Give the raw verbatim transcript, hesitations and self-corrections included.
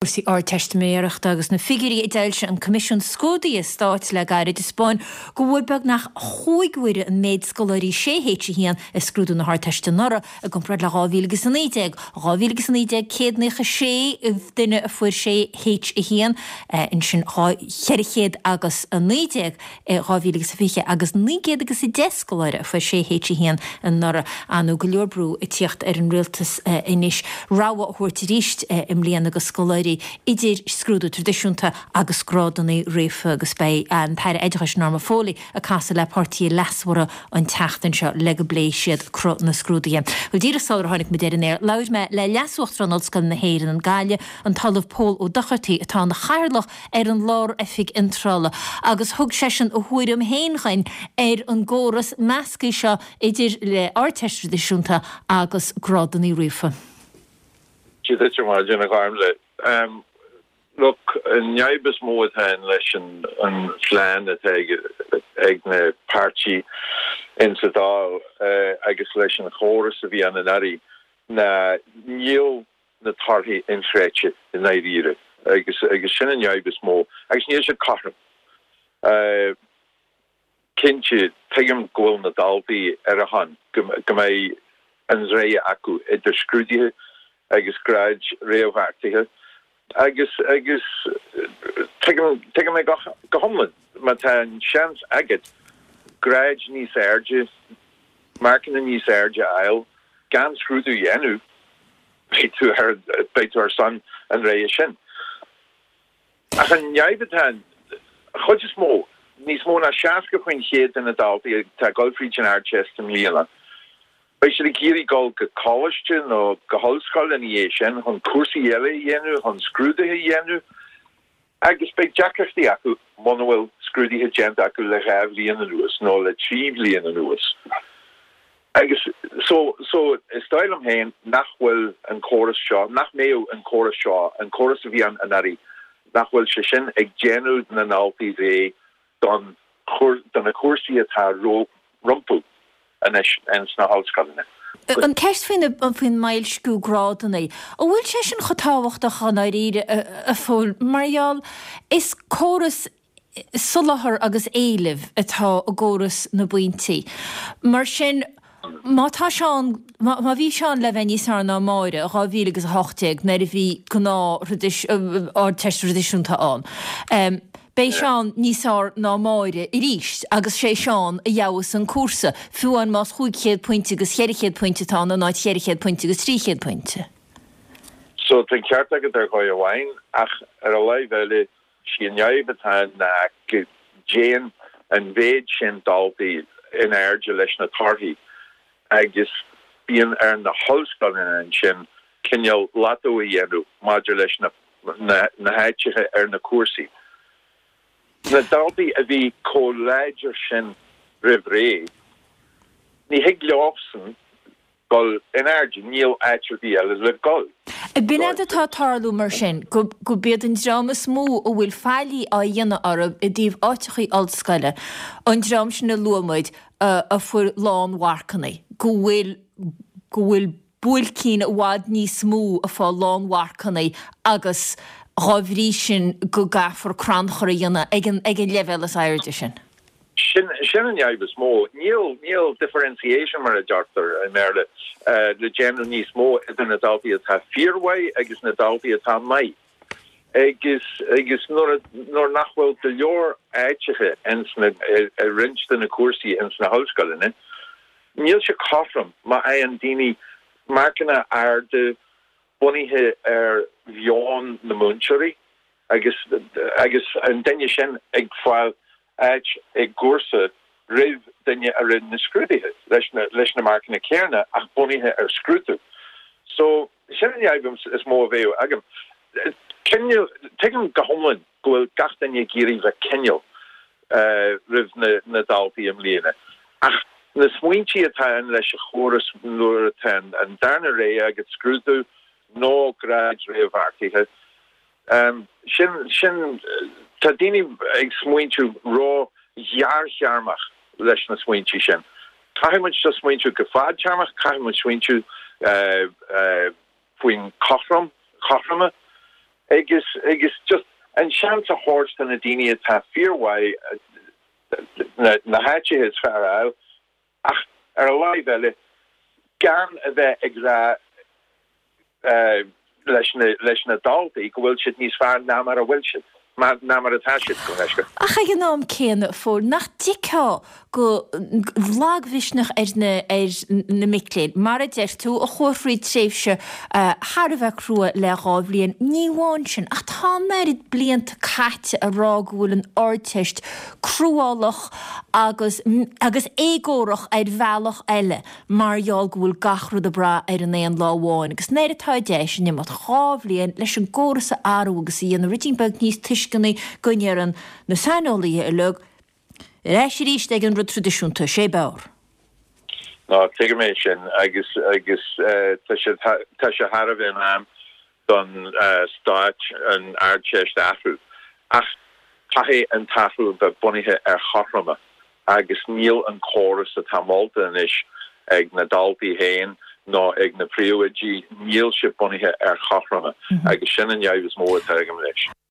Cúrsaí Ardteistiméireachta agus na figiúirí a d'fhoilsigh an Coimisiún Scrúduithe Stáit le gairid ag taispeáint go bhfuil beagnach cúig huaire an méid scoláirí sé H a haon i scrúdú na hArdteiste anuraidh i gcomparáid le dhá mhíle agus a naoi déag. dhá mhíle agus a naoi déag céad naocha sé duine a fuair sé H a haon, ansin dhá cheithre chéad agus a naoi déag i dhá mhíle agus a fiche agus naoi gcéad agus a deich scoláire a fuair sé H a haon anuraidh. Nó go leor brú ag tíocht ar an rialtas anois rogha a thabhairt arís i mbliana do scoláirí idir scrúdú traidisiúnta agus grádanna ríofa agus beidh an tAire Oideachais Norma Foley ag casadh le páirtithe leasmhara an tseachtain seo le go bpléifidh siad cruth na scrúduithe. Well díreach sular tháinig muid ar an aer, labhair mé le Leas-Uachtarán Ollscoil na hÉireann, Gaillimh, an tOllamh Pól Ó Dochartaigh atá ina chathaoirleach ar an Lár-Oifig Iontrála agus thug seisean a thuairim féin dhuinn ar an gcóras measctha seo idir le Ardteist traidisiúnta agus grádanna ríofa. Dia duit ar maidin a Ghormfhlaith. Um, look, an fhadhb is mó atá leis an, an phlean atá ag, ag na páirtithe in sa Dáil uh, agus leis an chóras a bhí ann anuraidh ná níl na torthaí inchreidte i ndáiríre agus agus sin an fhadhb is mó agus níl siad cothrom. Uh, cinnte tuigim go bhfuil na daltaí ar a shon go go mbeidh an rogha acu idir scrúduithe agus gráid réamhbheartaithe agus agus tuigim tuigim é go go hiomlán má tá an seans agat gráid níos airde marcanna níos airde a fháil gan scrúdú a dhéanamh beidh tú ar beidh tú ar son an rogha sin. Ach an fhadhb atá an chuid is mó níos mó ná seasca faoin chéad de na daltaí atá ag dul fríd an Ardteist i mbliana. Beidh siad ag iarraidh dul go coláiste nó go hollscoil ina dhiaidh sin chun cúrsaí eile a dhéanamh chun scrúduithe a dhéanamh agus beidh deacrachtaí acu muna bhfuil scrúduithe déanta acu le dhá bhliain anuas nó le trí bhliain anuas. Agus so so is dóigh liom féin nach bhfuil an córas seo, nach mbeadh an córas seo, an córas a bhí ann anuraidh, nach bhfuil sé sin ag déanamh na ndaltaí réidh don do na cúrsaí atá rompu anois ins na hollscoileanna. An ceist faoin faoin mboilsciú grádanna, an bhfuil sé sin chomh tábhachtach i ndáiríre a Phóil mar gheall is córas soláthar agus éilimh atá i gcóras na bpointí. Mar sin má tá sé ann má bhí sé ann le bheith níos fearr ná Máire dhá mhíle agus a hocht déag nuair a bhí gnáth Ardteist traidisiúnta ann. Um, Beidh sé ann níos fearr ná Máire arís agus sé Seán a gheobhas an cúrsa, fiú amháin más chúig chéad pointe agus cheithre chéad pointe atá ann in áit cheithre chéad pointe agus trí chéad pointe. So tá an ceart agat ar dhóigh amháin ach ar an láimh eile sí an fhadhb atá ná go dtéann an mhéid sin daltaí in airde leis na torthaí agus bíonn ar na hollscoileanna ansin cineál lotto a dhéanamh maidir leis na na, na háiteacha ar na cúrsaí. Na daltaí a bhí chomh láidir sin roimh ré, ní thig leosan dul in airde, níl áit ar bith eile le dul. B'in é atá ag tarlú mar sin, go go b'iad an dream is mó a bhfuil faillí á dhéanamh orthu i dtaobh áiteachaí ollscoile, an dream sin a luaigh muid a fuair lánmharcanna, go bhfuil go bhfuil buailcín i bhfad níos mó ag fáil lánmharcanna agus dá bhrí sin go gcaithfear crannchur a dhéanamh ag an ag an leibhéal is airde sin. Sin sin an fhadhb is mó. Níl níl differentiation mar a deirtear i mBéarla uh, le déanamh níos mó idir na daltaí atá fíormhaith agus na daltaí atá maith. Agus agus nuair nuair nach bhfuil go leor áiteacha ins na i roinnt de na cúrsaí ins na hollscoileanna, níl sé cothrom má fhaigheann daoine marcanna arda bunaithe ar mheon na múinteoirí agus agus an duine sin ag fáil áit i gcúrsa roimh duine a rinne na scrúduithe leis na leis na marcanna céanna ach bunaithe ar scrúdú. So sin an fhadhb is mó a bheadh agam. Tuigim go hiomlán go bhfuil gach duine ag iarraidh bheith cineál uh, roimh na, na daltaí i mbliana. Ach na smaointí atá ann leis an chóras nuair atá an darna rogha agat scrúdú nó gráid réamhbheartaithe. Um, sin sin tá daoine ag smaointiú ró-ghearrthéarmach leis na smaointí sin. Caithfidh muid seo smaointiú go fadtéarmach, caithfidh muid smaointiú uh, uh, faoin cothrom cothroime Agus agus just an seans a thabhairt do na daoine atá fíormhaith na na háiteacha is fearr a fháil ach ar an láimh eile gan a bheith ag rá leis na leis na daltaí go bhfuil siad níos fearr ná mar a bhfuil siad, ná mar atá siad, go leisce. Ach ag an am céanna, a Phóil, nach dtuigfeá go lagmhisneach ar na ar na mic léinn, mar a deir tú, a chuaigh thríd tréimhse thar a bheith crua le dhá bhliain. Ní amháin sin, ach tá an oiread blianta caite ag rá go bhfuil an Ardteist cruálach agus agus éagórach ar bhealach eile mar gheall go bhfuil gach rud ag brath ar an aon lá amháin agus nuair atá deis in imeacht dhá bhliain leis an gcóras a athrú agus a dhéanamh ruidín beag níos tuisceanaí go ndeireann na saineolaithe uilig ar ais arís ag an rud traidisiúnta, sé b'fhearr. Ná tuigim é sin agus agus tá sé tá sé thar a bheith in am don stát an Ardteist a athrú. Ach caithfidh an t-athrú bheith bunaithe ar chothroime agus níl an córas atá molta anois ag na daltaí féin ná ag na príomhoidí, níl sé bunaithe ar chothroime agus sin an fhadhb is mó atá agam leis.